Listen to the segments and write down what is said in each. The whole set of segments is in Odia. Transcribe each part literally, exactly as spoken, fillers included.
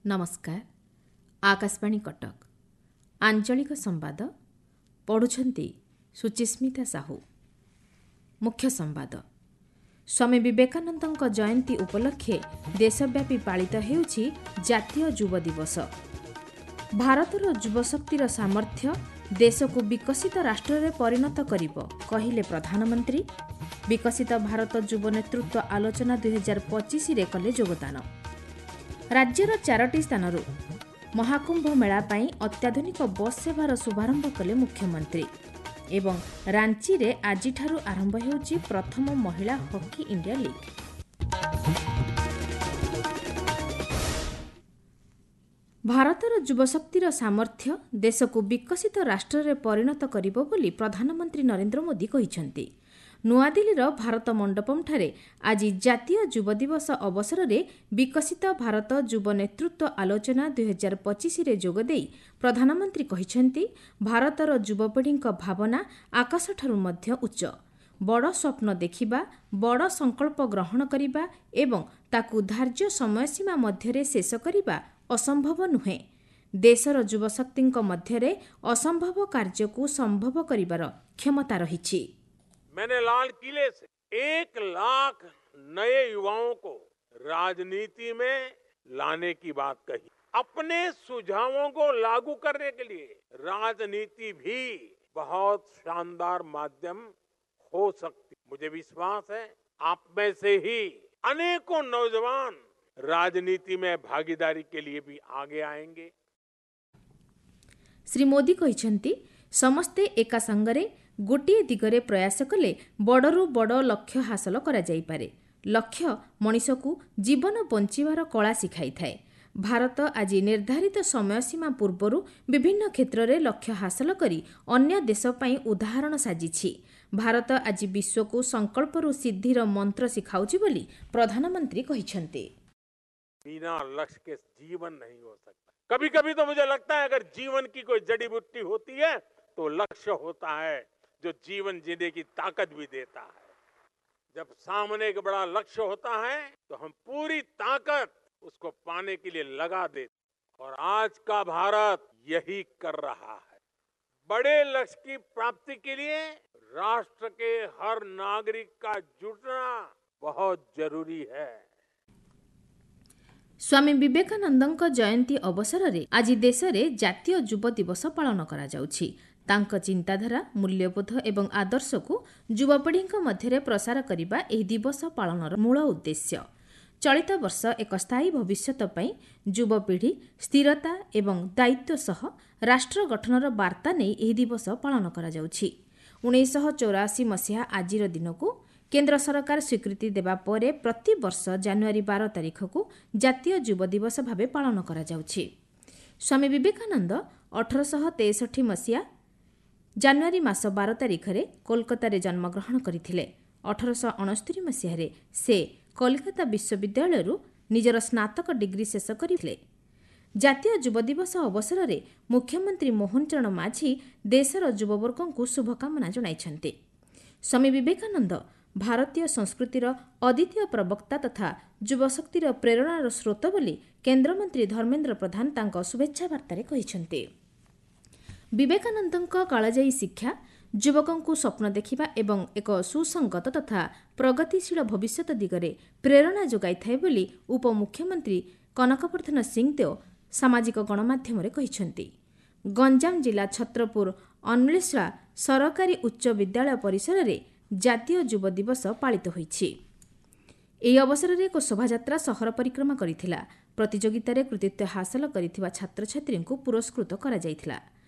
ନମସ୍କାର, ଆକାଶବାଣୀ କଟକ, ଆଞ୍ଚଳିକ ସମ୍ବାଦ ପଢ଼ୁଛନ୍ତି ସୁଚିସ୍ମିତା ସାହୁ। ମୁଖ୍ୟ ସମ୍ବାଦ। ସ୍ୱାମୀ ବିବେକାନନ୍ଦଙ୍କ ଜୟନ୍ତୀ ଉପଲକ୍ଷେ ଦେଶବ୍ୟାପୀ ପାଳିତ ହେଉଛି ଜାତୀୟ ଯୁବ ଦିବସ। ଭାରତର ଯୁବଶକ୍ତିର ସାମର୍ଥ୍ୟ ଦେଶକୁ ବିକଶିତ ରାଷ୍ଟ୍ରରେ ପରିଣତ କରିବ, କହିଲେ ପ୍ରଧାନମନ୍ତ୍ରୀ। ବିକଶିତ ଭାରତ ଯୁବ ନେତୃତ୍ୱ ଆଲୋଚନା ଦୁଇହଜାର ପଚିଶରେ କଲେ ଯୋଗଦାନ। ରାଜ୍ୟର ଚାରୋଟି ସ୍ଥାନରୁ ମହାକୁମ୍ଭ ମେଳା ପାଇଁ ଅତ୍ୟାଧୁନିକ ବସ୍ ସେବାର ଶୁଭାରମ୍ଭ କଲେ ମୁଖ୍ୟମନ୍ତ୍ରୀ। ଏବଂ ରାଞ୍ଚିରେ ଆଜିଠାରୁ ଆରମ୍ଭ ହେଉଛି ପ୍ରଥମ ମହିଳା ହକି ଇଣ୍ଡିଆ ଲିଗ୍। ଭାରତର ଯୁବଶକ୍ତିର ସାମର୍ଥ୍ୟ ଦେଶକୁ ବିକଶିତ ରାଷ୍ଟ୍ରରେ ପରିଣତ କରିବ ବୋଲି ପ୍ରଧାନମନ୍ତ୍ରୀ ନରେନ୍ଦ୍ର ମୋଦି କହିଛନ୍ତି। ନୂଆଦିଲ୍ଲୀର ଭାରତ ମଣ୍ଡପମ୍ଠାରେ ଆଜି ଜାତୀୟ ଯୁବ ଦିବସ ଅବସରରେ ବିକଶିତ ଭାରତ ଯୁବ ନେତୃତ୍ୱ ଆଲୋଚନା ଦୁଇହଜାର ପଚିଶରେ ଯୋଗଦେଇ ପ୍ରଧାନମନ୍ତ୍ରୀ କହିଛନ୍ତି, ଭାରତର ଯୁବପିଢ଼ିଙ୍କ ଭାବନା ଆକାଶଠାରୁ ମଧ୍ୟ ଉଚ୍ଚ। ବଡ଼ ସ୍ୱପ୍ନ ଦେଖିବା, ବଡ଼ ସଂକଳ୍ପ ଗ୍ରହଣ କରିବା ଏବଂ ତାକୁ ଧାର୍ଯ୍ୟ ସମୟସୀମା ମଧ୍ୟରେ ଶେଷ କରିବା ଅସମ୍ଭବ ନୁହେଁ। ଦେଶର ଯୁବଶକ୍ତିଙ୍କ ମଧ୍ୟରେ ଅସମ୍ଭବ କାର୍ଯ୍ୟକୁ ସମ୍ଭବ କରିବାର କ୍ଷମତା ରହିଛି। मैंने लाल किले से एक लाख नए युवाओं को राजनीति में लाने की बात कही। अपने सुझावों को लागू करने के लिए राजनीति भी बहुत शानदार माध्यम हो सकती। मुझे विश्वास है आप में से ही अनेकों नौजवान राजनीति में भागीदारी के लिए भी आगे आएंगे। ଶ୍ରୀ ମୋଦି କହିଛନ୍ତି, ସମସ୍ତେ ଏକା ସାଙ୍ଗରେ ଗୋଟିଏ ଦିଗରେ ପ୍ରୟାସ କଲେ ବଡ଼ରୁ ବଡ଼ ଲକ୍ଷ୍ୟ ହାସଲ କରାଯାଇପାରେ। ଲକ୍ଷ୍ୟ ମଣିଷକୁ ଜୀବନ ବଞ୍ଚିବାର କଳା ଶିଖାଇଥାଏ। ଭାରତ ଆଜି ନିର୍ଦ୍ଧାରିତ ସମୟସୀମା ପୂର୍ବରୁ ବିଭିନ୍ନ କ୍ଷେତ୍ରରେ ଲକ୍ଷ୍ୟ ହାସଲ କରି ଅନ୍ୟ ଦେଶ ପାଇଁ ଉଦାହରଣ ସାଜିଛି। ଭାରତ ଆଜି ବିଶ୍ୱକୁ ସଂକଳ୍ପରୁ ସିଦ୍ଧିର ମନ୍ତ୍ର ଶିଖାଉଛି ବୋଲି ପ୍ରଧାନମନ୍ତ୍ରୀ କହିଛନ୍ତି। बिना लक्ष्य के जीवन नहीं हो सकता। कभी कभी तो मुझे लगता है अगर जीवन की कोई जड़ी बूटी होती है तो लक्ष्य होता है, जो जीवन जीने की ताकत भी देता है। जब सामने एक बड़ा लक्ष्य होता है तो हम पूरी ताकत उसको पाने के लिए लगा देते, और आज का भारत यही कर रहा है। बड़े लक्ष्य की प्राप्ति के लिए राष्ट्र के हर नागरिक का जुटना बहुत जरूरी है। ସ୍ୱାମୀ ବିବେକାନନ୍ଦଙ୍କ ଜୟନ୍ତୀ ଅବସରରେ ଆଜି ଦେଶରେ ଜାତୀୟ ଯୁବ ଦିବସ ପାଳନ କରାଯାଉଛି। ତାଙ୍କ ଚିନ୍ତାଧାରା, ମୂଲ୍ୟବୋଧ ଏବଂ ଆଦର୍ଶକୁ ଯୁବପିଢ଼ିଙ୍କ ମଧ୍ୟରେ ପ୍ରସାର କରିବା ଏହି ଦିବସ ପାଳନର ମୂଳ ଉଦ୍ଦେଶ୍ୟ। ଚଳିତ ବର୍ଷ ଏକ ସ୍ଥାୟୀ ଭବିଷ୍ୟତ ପାଇଁ ଯୁବପିଢ଼ି ସ୍ଥିରତା ଏବଂ ଦାୟିତ୍ୱ ସହ ରାଷ୍ଟ୍ର ଗଠନର ବାର୍ତ୍ତା ନେଇ ଏହି ଦିବସ ପାଳନ କରାଯାଉଛି। ଉଣେଇଶହ ଚଉରାଅଶୀ ମସିହା ଆଜିର ଦିନକୁ କେନ୍ଦ୍ର ସରକାର ସ୍ୱୀକୃତି ଦେବା ପରେ ପ୍ରତିବର୍ଷ ଜାନୁଆରୀ ବାର ତାରିଖକୁ ଜାତୀୟ ଯୁବ ଦିବସ ଭାବେ ପାଳନ କରାଯାଉଛି। ସ୍ୱାମୀ ବିବେକାନନ୍ଦ ଅଠରଶହ ତେଷଠି ମସିହା ଜାନୁଆରୀ ମାସ ବାର ତାରିଖରେ କୋଲକାତାରେ ଜନ୍ମଗ୍ରହଣ କରିଥିଲେ। ଅଠରଶହ ଅଣସ୍ତରୀ ମସିହାରେ ସେ କଲିକତା ବିଶ୍ୱବିଦ୍ୟାଳୟରୁ ନିଜର ସ୍ନାତକ ଡିଗ୍ରୀ ଶେଷ କରିଥିଲେ। ଜାତୀୟ ଯୁବ ଦିବସ ଅବସରରେ ମୁଖ୍ୟମନ୍ତ୍ରୀ ମୋହନ ଚରଣ ମାଝୀ ଦେଶର ଯୁବବର୍ଗଙ୍କୁ ଶୁଭକାମନା ଜଣାଇଛନ୍ତି। ସ୍ୱାମୀ ବିବେକାନନ୍ଦ ଭାରତୀୟ ସଂସ୍କୃତିର ଅଦ୍ୱିତୀୟ ପ୍ରବକ୍ତା ତଥା ଯୁବଶକ୍ତିର ପ୍ରେରଣାର ସ୍ରୋତ ବୋଲି କେନ୍ଦ୍ରମନ୍ତ୍ରୀ ଧର୍ମେନ୍ଦ୍ର ପ୍ରଧାନ ତାଙ୍କ ଶୁଭେଚ୍ଛା ବାର୍ତ୍ତାରେ କହିଛନ୍ତି। ବିବେକାନନ୍ଦଙ୍କ କାଳଜୟୀ ଶିକ୍ଷା ଯୁବକଙ୍କୁ ସ୍ୱପ୍ନ ଦେଖିବା ଏବଂ ଏକ ସୁସଙ୍ଗତ ତଥା ପ୍ରଗତିଶୀଳ ଭବିଷ୍ୟତ ଦିଗରେ ପ୍ରେରଣା ଯୋଗାଇଥାଏ ବୋଲି ଉପମୁଖ୍ୟମନ୍ତ୍ରୀ କନକବର୍ଦ୍ଧନ ସିଂଦେଓ ସାମାଜିକ ଗଣମାଧ୍ୟମରେ କହିଛନ୍ତି। ଗଞ୍ଜାମ ଜିଲ୍ଲା ଛତ୍ରପୁର ଅନ୍ୱେଷା ସରକାରୀ ଉଚ୍ଚ ବିଦ୍ୟାଳୟ ପରିସରରେ ଜାତୀୟ ଯୁବ ଦିବସ ପାଳିତ ହୋଇଛି। ଏହି ଅବସରରେ ଏକ ଶୋଭାଯାତ୍ରା ସହର ପରିକ୍ରମା କରିଥିଲା। ପ୍ରତିଯୋଗିତାରେ କୃତିତ୍ୱ ହାସଲ କରିଥିବା ଛାତ୍ରଛାତ୍ରୀଙ୍କୁ ପୁରସ୍କୃତ କରାଯାଇଥିଲା।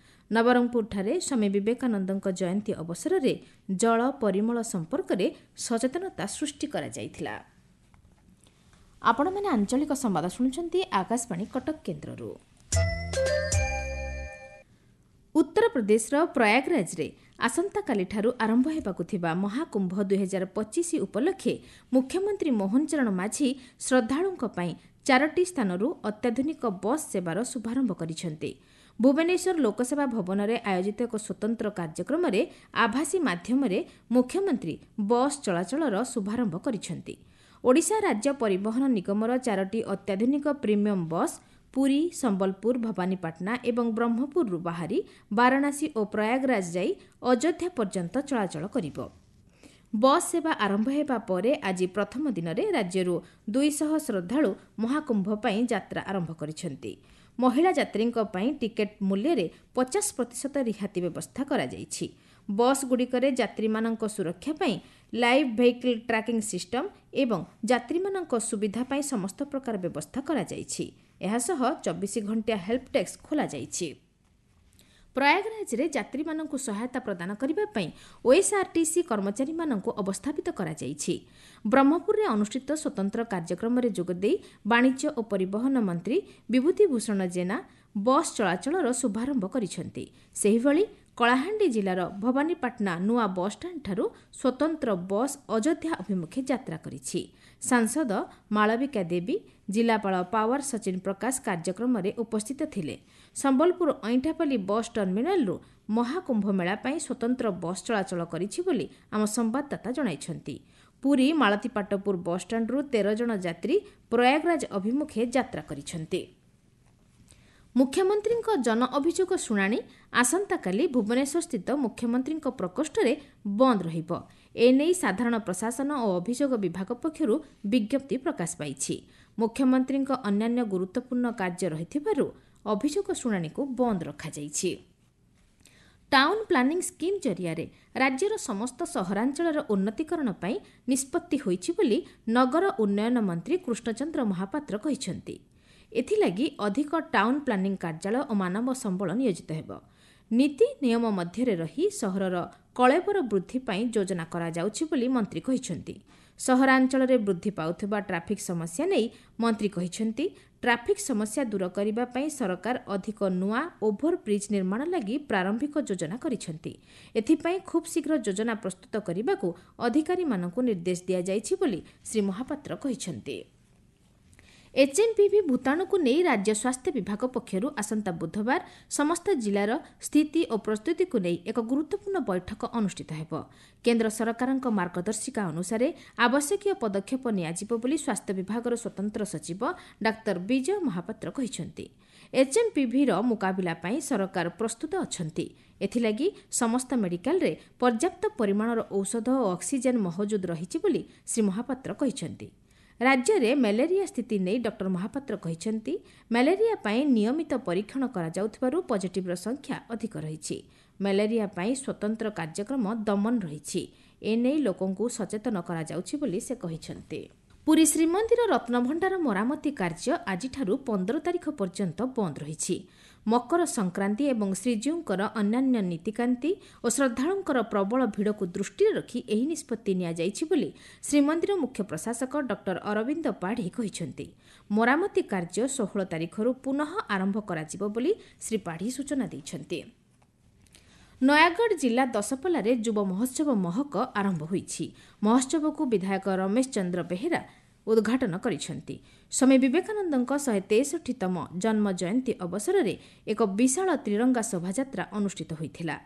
ନବରଙ୍ଗପୁରଠାରେ ସ୍ୱାମୀ ବିବେକାନନ୍ଦଙ୍କ ଜୟନ୍ତୀ ଅବସରରେ ଜଳ ପରିମଳ ସମ୍ପର୍କରେ ସଚେତନତା ସୃଷ୍ଟି କରାଯାଇଥିଲା। ଆପଣମାନେ ଆଞ୍ଚଳିକ ସମ୍ବାଦ ଶୁଣୁଛନ୍ତି ଆକାଶବାଣୀ କଟକ କେନ୍ଦ୍ରରୁ। ଉତ୍ତରପ୍ରଦେଶର ପ୍ରୟାଗରାଜରେ ଆସନ୍ତାକାଲିଠାରୁ ଆରମ୍ଭ ହେବାକୁ ଥିବା ମହାକୁମ୍ଭ ଦୁଇହଜାର ପଚିଶ ଉପଲକ୍ଷେ ମୁଖ୍ୟମନ୍ତ୍ରୀ ମୋହନ ଚରଣ ମାଝୀ ଶ୍ରଦ୍ଧାଳୁଙ୍କ ପାଇଁ ଚାରୋଟି ସ୍ଥାନରୁ ଅତ୍ୟାଧୁନିକ ବସ୍ ସେବାର ଶୁଭାରମ୍ଭ କରିଛନ୍ତି। ଭୁବନେଶ୍ୱର ଲୋକସେବା ଭବନରେ ଆୟୋଜିତ ଏକ ସ୍ୱତନ୍ତ୍ର କାର୍ଯ୍ୟକ୍ରମରେ ଆଭାସୀ ମାଧ୍ୟମରେ ମୁଖ୍ୟମନ୍ତ୍ରୀ ବସ୍ ଚଳାଚଳର ଶୁଭାରମ୍ଭ କରିଛନ୍ତି। ଓଡ଼ିଶା ରାଜ୍ୟ ପରିବହନ ନିଗମର ଚାରୋଟି ଅତ୍ୟାଧୁନିକ ପ୍ରିମିୟମ୍ ବସ୍ ପୁରୀ, ସମ୍ବଲପୁର, ଭବାନୀପାଟଣା ଏବଂ ବ୍ରହ୍ମପୁରରୁ ବାହାରି ବାରାଣାସୀ ଓ ପ୍ରୟାଗରାଜ ଯାଇ ଅଯୋଧ୍ୟା ପର୍ଯ୍ୟନ୍ତ ଚଳାଚଳ କରିବ। ବସ୍ ସେବା ଆରମ୍ଭ ହେବା ପରେ ଆଜି ପ୍ରଥମ ଦିନରେ ରାଜ୍ୟରୁ ଦୁଇଶହ ଶ୍ରଦ୍ଧାଳୁ ମହାକୁମ୍ଭ ପାଇଁ ଯାତ୍ରା ଆରମ୍ଭ କରିଛନ୍ତି। ମହିଳା ଯାତ୍ରୀଙ୍କ ପାଇଁ ଟିକେଟ୍ ମୂଲ୍ୟରେ ପଚାଶ ପ୍ରତିଶତ ରିହାତି ବ୍ୟବସ୍ଥା କରାଯାଇଛି। ବସ୍ଗୁଡ଼ିକରେ ଯାତ୍ରୀମାନଙ୍କ ସୁରକ୍ଷା ପାଇଁ ଲାଇଭ୍ ଭେହିକିଲ୍ ଟ୍ରାକିଂ ସିଷ୍ଟମ୍ ଏବଂ ଯାତ୍ରୀମାନଙ୍କ ସୁବିଧା ପାଇଁ ସମସ୍ତ ପ୍ରକାର ବ୍ୟବସ୍ଥା କରାଯାଇଛି। ଏହାସହ ଚବିଶ ଘଣ୍ଟିଆ ହେଲ୍ପ ଡେସ୍କ ଖୋଲାଯାଇଛି। ପ୍ରୟାଗରାଜରେ ଯାତ୍ରୀମାନଙ୍କୁ ସହାୟତା ପ୍ରଦାନ କରିବା ପାଇଁ ଓଏସ୍ଆର୍ଟିସି କର୍ମଚାରୀମାନଙ୍କୁ ଅବସ୍ଥାପିତ କରାଯାଇଛି। ବ୍ରହ୍ମପୁରରେ ଅନୁଷ୍ଠିତ ସ୍ୱତନ୍ତ୍ର କାର୍ଯ୍ୟକ୍ରମରେ ଯୋଗଦେଇ ବାଣିଜ୍ୟ ଓ ପରିବହନ ମନ୍ତ୍ରୀ ବିଭୂତି ଭୂଷଣ ଜେନା ବସ୍ ଚଳାଚଳର ଶୁଭାରମ୍ଭ କରିଛନ୍ତି। ସେହିଭଳି କଳାହାଣ୍ଡି ଜିଲ୍ଲାର ଭବାନୀପାଟଣା ନୂଆ ବସ୍ଷ୍ଟାଣ୍ଡଠାରୁ ସ୍ୱତନ୍ତ୍ର ବସ୍ ଅଯୋଧ୍ୟା ଅଭିମୁଖେ ଯାତ୍ରା କରିଛି। ସାଂସଦ ମାଳବିକା ଦେବୀ, ଜିଲ୍ଲାପାଳ ପାୱାର ସଚିନ ପ୍ରକାଶ କାର୍ଯ୍ୟକ୍ରମରେ ଉପସ୍ଥିତ ଥିଲେ। ସମ୍ବଲପୁର ଅଇଁଠାପାଲି ବସ୍ ଟର୍ମିନାଲରୁ ମହାକୁମ୍ଭ ମେଳା ପାଇଁ ସ୍ୱତନ୍ତ୍ର ବସ୍ ଚଳାଚଳ କରିଛି ବୋଲି ଆମ ସମ୍ବାଦଦାତା ଜଣାଇଛନ୍ତି। ପୁରୀ ମାଳତୀପାଟପୁର ବସ୍ଷ୍ଟାଣ୍ଡରୁ ତେର ଜଣ ଯାତ୍ରୀ ପ୍ରୟାଗରାଜ ଅଭିମୁଖେ ଯାତ୍ରା କରିଛନ୍ତି। ମୁଖ୍ୟମନ୍ତ୍ରୀଙ୍କ ଜନ ଅଭିଯୋଗ ଶୁଣାଣି ଆସନ୍ତାକାଲି ଭୁବନେଶ୍ୱରସ୍ଥିତ ମୁଖ୍ୟମନ୍ତ୍ରୀଙ୍କ ପ୍ରକୋଷ୍ଠରେ ବନ୍ଦ ରହିବ। ଏନେଇ ସାଧାରଣ ପ୍ରଶାସନ ଓ ଅଭିଯୋଗ ବିଭାଗ ପକ୍ଷରୁ ବିଜ୍ଞପ୍ତି ପ୍ରକାଶ ପାଇଛି। ମୁଖ୍ୟମନ୍ତ୍ରୀଙ୍କ ଅନ୍ୟାନ୍ୟ ଗୁରୁତ୍ୱପୂର୍ଣ୍ଣ କାର୍ଯ୍ୟ ରହିଥିବାରୁ ଅଭିଯୋଗ ଶୁଣାଣିକୁ ବନ୍ଦ ରଖାଯାଇଛି। ଟାଉନ୍ ପ୍ଲାନିଂ ସ୍କିମ୍ ଜରିଆରେ ରାଜ୍ୟର ସମସ୍ତ ସହରାଞ୍ଚଳର ଉନ୍ନତୀକରଣ ପାଇଁ ନିଷ୍ପତ୍ତି ହୋଇଛି ବୋଲି ନଗର ଉନ୍ନୟନ ମନ୍ତ୍ରୀ କୃଷ୍ଣଚନ୍ଦ୍ର ମହାପାତ୍ର କହିଛନ୍ତି। ଏଥିଲାଗି ଅଧିକ ଟାଉନ୍ ପ୍ଲାନିଂ କାର୍ଯ୍ୟାଳୟ ଓ ମାନବ ସମ୍ବଳ ନିୟୋଜିତ ହେବ। ନୀତି ନିୟମ ମଧ୍ୟରେ ରହି ସହରର କଳେବର ବୃଦ୍ଧି ପାଇଁ ଯୋଜନା କରାଯାଉଛି ବୋଲି ମନ୍ତ୍ରୀ କହିଛନ୍ତି। ସହରାଞ୍ଚଳରେ ବୃଦ୍ଧି ପାଉଥିବା ଟ୍ରାଫିକ୍ ସମସ୍ୟା ନେଇ ମନ୍ତ୍ରୀ କହିଛନ୍ତି, ଟ୍ରାଫିକ୍ ସମସ୍ୟା ଦୂର କରିବା ପାଇଁ ସରକାର ଅଧିକ ନୂଆ ଓଭରବ୍ରିଜ୍ ନିର୍ମାଣ ଲାଗି ପ୍ରାରମ୍ଭିକ ଯୋଜନା କରିଛନ୍ତି। ଏଥିପାଇଁ ଖୁବ୍ ଶୀଘ୍ର ଯୋଜନା ପ୍ରସ୍ତୁତ କରିବାକୁ ଅଧିକାରୀମାନଙ୍କୁ ନିର୍ଦ୍ଦେଶ ଦିଆଯାଇଛି ବୋଲି ଶ୍ରୀ ମହାପାତ୍ର କହିଛନ୍ତି। ଏଚ୍ଏମ୍ପିଭି ଭୂତାଣୁକୁ ନେଇ ରାଜ୍ୟ ସ୍ୱାସ୍ଥ୍ୟ ବିଭାଗ ପକ୍ଷରୁ ଆସନ୍ତା ବୁଧବାର ସମସ୍ତ ଜିଲ୍ଲାର ସ୍ଥିତି ଓ ପ୍ରସ୍ତୁତିକୁ ନେଇ ଏକ ଗୁରୁତ୍ୱପୂର୍ଣ୍ଣ ବୈଠକ ଅନୁଷ୍ଠିତ ହେବ। କେନ୍ଦ୍ର ସରକାରଙ୍କ ମାର୍ଗଦର୍ଶିକା ଅନୁସାରେ ଆବଶ୍ୟକୀୟ ପଦକ୍ଷେପ ନିଆଯିବ ବୋଲି ସ୍ୱାସ୍ଥ୍ୟ ବିଭାଗର ସ୍ୱତନ୍ତ୍ର ସଚିବ ଡାକ୍ତର ବିଜୟ ମହାପାତ୍ର କହିଛନ୍ତି। ଏଚ୍ଏମ୍ପିଭିର ମୁକାବିଲା ପାଇଁ ସରକାର ପ୍ରସ୍ତୁତ ଅଛନ୍ତି। ଏଥିଲାଗି ସମସ୍ତ ମେଡିକାଲରେ ପର୍ଯ୍ୟାପ୍ତ ପରିମାଣର ଔଷଧ ଓ ଅକ୍ସିଜେନ୍ ମହଜୁଦ ରହିଛି ବୋଲି ଶ୍ରୀ ମହାପାତ୍ର କହିଛନ୍ତି। ରାଜ୍ୟରେ ମ୍ୟାଲେରିଆ ସ୍ଥିତି ନେଇ ଡକ୍ଟର ମହାପାତ୍ର କହିଛନ୍ତି, ମ୍ୟାଲେରିଆ ପାଇଁ ନିୟମିତ ପରୀକ୍ଷଣ କରାଯାଉଥିବାରୁ ପଜିଟିଭ୍ର ସଂଖ୍ୟା ଅଧିକ ରହିଛି। ମ୍ୟାଲେରିଆ ପାଇଁ ସ୍ୱତନ୍ତ୍ର କାର୍ଯ୍ୟକ୍ରମ ଦମନ ରହିଛି। ଏନେଇ ଲୋକଙ୍କୁ ସଚେତନ କରାଯାଉଛି ବୋଲି ସେ କହିଛନ୍ତି। ପୁରୀ ଶ୍ରୀମନ୍ଦିର ରତ୍ନଭଣ୍ଡାର ମରାମତି କାର୍ଯ୍ୟ ଆଜିଠାରୁ ପନ୍ଦର ତାରିଖ ପର୍ଯ୍ୟନ୍ତ ବନ୍ଦ ରହିଛି। ମକର ସଂକ୍ରାନ୍ତି ଏବଂ ଶ୍ରୀଜୀଉଙ୍କର ଅନ୍ୟାନ୍ୟ ନୀତିକାନ୍ତି ଓ ଶ୍ରଦ୍ଧାଳୁଙ୍କର ପ୍ରବଳ ଭିଡ଼କୁ ଦୃଷ୍ଟିରେ ରଖି ଏହି ନିଷ୍ପତ୍ତି ନିଆଯାଇଛି ବୋଲି ଶ୍ରୀମନ୍ଦିର ମୁଖ୍ୟ ପ୍ରଶାସକ ଡକ୍ଟର ଅରବିନ୍ଦ ପାଢ଼ୀ କହିଛନ୍ତି। ମରାମତି କାର୍ଯ୍ୟ ଷୋହଳ ତାରିଖରୁ ପୁନଃ ଆରମ୍ଭ କରାଯିବ ବୋଲି ଶ୍ରୀ ପାଢ଼ୀ ସୂଚନା ଦେଇଛନ୍ତି। ନୟାଗଡ଼ ଜିଲ୍ଲା ଦଶପଲ୍ଲାରେ ଯୁବ ମହୋତ୍ସବ ମହକ ଆରମ୍ଭ ହୋଇଛି। ମହୋତ୍ସବକୁ ବିଧାୟକ ରମେଶ ଚନ୍ଦ୍ର ବେହେରା ଉଦ୍ଘାଟନ କରିଛନ୍ତି। ସ୍ୱାମୀ ବିବେକାନନ୍ଦଙ୍କ ଶହେ ତେଷଠିତମ ଜନ୍ମ ଜୟନ୍ତୀ ଅବସରରେ ଏକ ବିଶାଳ ତ୍ରିରଙ୍ଗା ଶୋଭାଯାତ୍ରା ଅନୁଷ୍ଠିତ ହୋଇଥିଲା।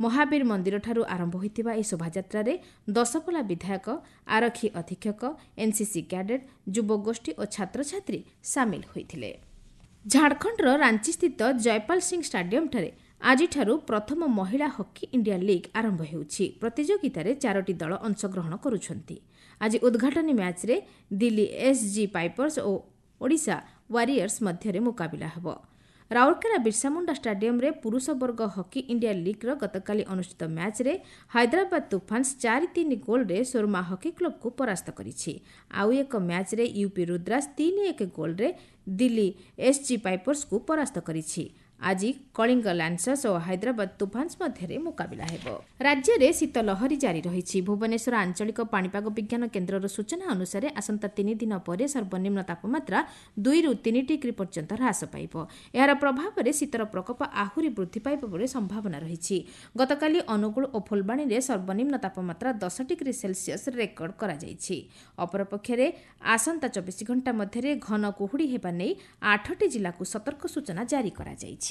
ମହାବୀର ମନ୍ଦିରଠାରୁ ଆରମ୍ଭ ହୋଇଥିବା ଏହି ଶୋଭାଯାତ୍ରାରେ ଦଶପଲ୍ଲା ବିଧାୟକ, ଆରକ୍ଷୀ ଅଧୀକ୍ଷକ, ଏନ୍ସିସି କ୍ୟାଡେଟ୍, ଯୁବଗୋଷ୍ଠୀ ଓ ଛାତ୍ରଛାତ୍ରୀ ସାମିଲ ହୋଇଥିଲେ। ଝାଡ଼ଖଣ୍ଡର ରାଞ୍ଚିସ୍ଥିତ ଜୟପାଲ ସିଂ ଷ୍ଟାଡିୟମ୍ଠାରେ ଆଜିଠାରୁ ପ୍ରଥମ ମହିଳା ହକି ଇଣ୍ଡିଆ ଲିଗ୍ ଆରମ୍ଭ ହେଉଛି। ପ୍ରତିଯୋଗିତାରେ ଚାରୋଟି ଦଳ ଅଂଶଗ୍ରହଣ କରୁଛନ୍ତି। ଆଜି ଉଦ୍ଘାଟନୀ ମ୍ୟାଚ୍ରେ ଦିଲ୍ଲୀ ଏସ୍ଜି ପାଇପର୍ସ ଓ ଓଡ଼ିଶା ୱାରିୟର୍ସ ମଧ୍ୟରେ ମୁକାବିଲା ହେବ। ରାଉରକେଲା ବିର୍ସାମୁଣ୍ଡା ଷ୍ଟାଡିୟମ୍ରେ ପୁରୁଷ ବର୍ଗ ହକି ଇଣ୍ଡିଆ ଲିଗ୍ର ଗତକାଲି ଅନୁଷ୍ଠିତ ମ୍ୟାଚ୍ରେ ହାଇଦ୍ରାବାଦ ତୁଫାନ୍ସ ଚାରି ତିନି ଗୋଲ୍ରେ ସୋରମା ହକି କ୍ଲବକୁ ପରାସ୍ତ କରିଛି। ଆଉ ଏକ ମ୍ୟାଚ୍ରେ ୟୁପି ରୁଦ୍ରାସ ତିନି ଏକ ଗୋଲ୍ରେ ଦିଲ୍ଲୀ ଏସ୍ଜି ପାଇପର୍ସକୁ ପରାସ୍ତ କରିଛି। ଆଜି କଳିଙ୍ଗ ଲାନ୍ସର୍ସ ଓ ହାଇଦ୍ରାବାଦ ତୁଫାନ୍ସ ମଧ୍ୟରେ ମୁକାବିଲା ହେବ। ରାଜ୍ୟରେ ଶୀତ ଲହରୀ ଜାରି ରହିଛି। ଭୁବନେଶ୍ୱର ଆଞ୍ଚଳିକ ପାଣିପାଗ ବିଜ୍ଞାନ କେନ୍ଦ୍ରର ସୂଚନା ଅନୁସାରେ ଆସନ୍ତା ତିନି ଦିନ ପରେ ସର୍ବନିମ୍ନ ତାପମାତ୍ରା ଦୁଇରୁ ତିନି ଡିଗ୍ରୀ ପର୍ଯ୍ୟନ୍ତ ହ୍ରାସ ପାଇବ। ଏହାର ପ୍ରଭାବରେ ଶୀତର ପ୍ରକୋପ ଆହୁରି ବୃଦ୍ଧି ପାଇବ ବୋଲି ସମ୍ଭାବନା ରହିଛି। ଗତକାଲି ଅନୁଗୁଳ ଓ ଫୁଲବାଣୀରେ ସର୍ବନିମ୍ନ ତାପମାତ୍ରା ଦଶ ଡିଗ୍ରୀ ସେଲସିୟସ୍ ରେକର୍ଡ କରାଯାଇଛି। ଅପରପକ୍ଷରେ ଆସନ୍ତା ଚବିଶ ଘଣ୍ଟା ମଧ୍ୟରେ ଘନ କୁହୁଡ଼ି ହେବା ନେଇ ଆଠଟି ଜିଲ୍ଲାକୁ ସତର୍କ ସୂଚନା ଜାରି କରାଯାଇଛି।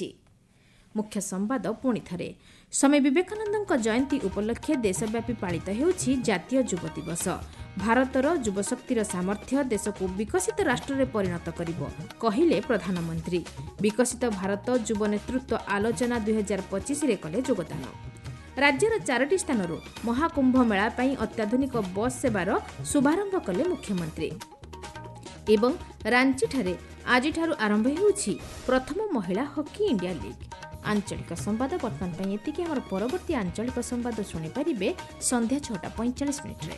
ମୁଖ୍ୟ ସମ୍ବାଦ ପୁଣି ଥରେ। ସ୍ୱାମୀ ବିବେକାନନ୍ଦଙ୍କ ଜୟନ୍ତୀ ଉପଲକ୍ଷେ ଦେଶବ୍ୟାପୀ ପାଳିତ ହେଉଛି ଜାତୀୟ ଯୁବ ଦିବସ। ଭାରତର ଯୁବଶକ୍ତିର ସାମର୍ଥ୍ୟ ଦେଶକୁ ବିକଶିତ ରାଷ୍ଟ୍ରରେ ପରିଣତ କରିବ, କହିଲେ ପ୍ରଧାନମନ୍ତ୍ରୀ। ବିକଶିତ ଭାରତ ଯୁବ ନେତୃତ୍ୱ ଆଲୋଚନା ଦୁଇହଜାର ପଚିଶରେ କଲେ ଯୋଗଦାନ। ରାଜ୍ୟର ଚାରୋଟି ସ୍ଥାନରୁ ମହାକୁମ୍ଭ ମେଳା ପାଇଁ ଅତ୍ୟାଧୁନିକ ବସ୍ ସେବାର ଶୁଭାରମ୍ଭ କଲେ ମୁଖ୍ୟମନ୍ତ୍ରୀ। ଏବଂ ରାଞ୍ଚିଠାରେ ଆଜିଠାରୁ ଆରମ୍ଭ ହେଉଛି ପ୍ରଥମ ମହିଳା ହକି ଇଣ୍ଡିଆ ଲିଗ୍। ଆଞ୍ଚଳିକ ସମ୍ବାଦ ବର୍ତ୍ତମାନ ପାଇଁ ଏତିକି। ଆମର ପରବର୍ତ୍ତୀ ଆଞ୍ଚଳିକ ସମ୍ବାଦ ଶୁଣିପାରିବେ ସନ୍ଧ୍ୟା ଛଅଟା ପଇଁଚାଳିଶ ମିନିଟ୍ରେ।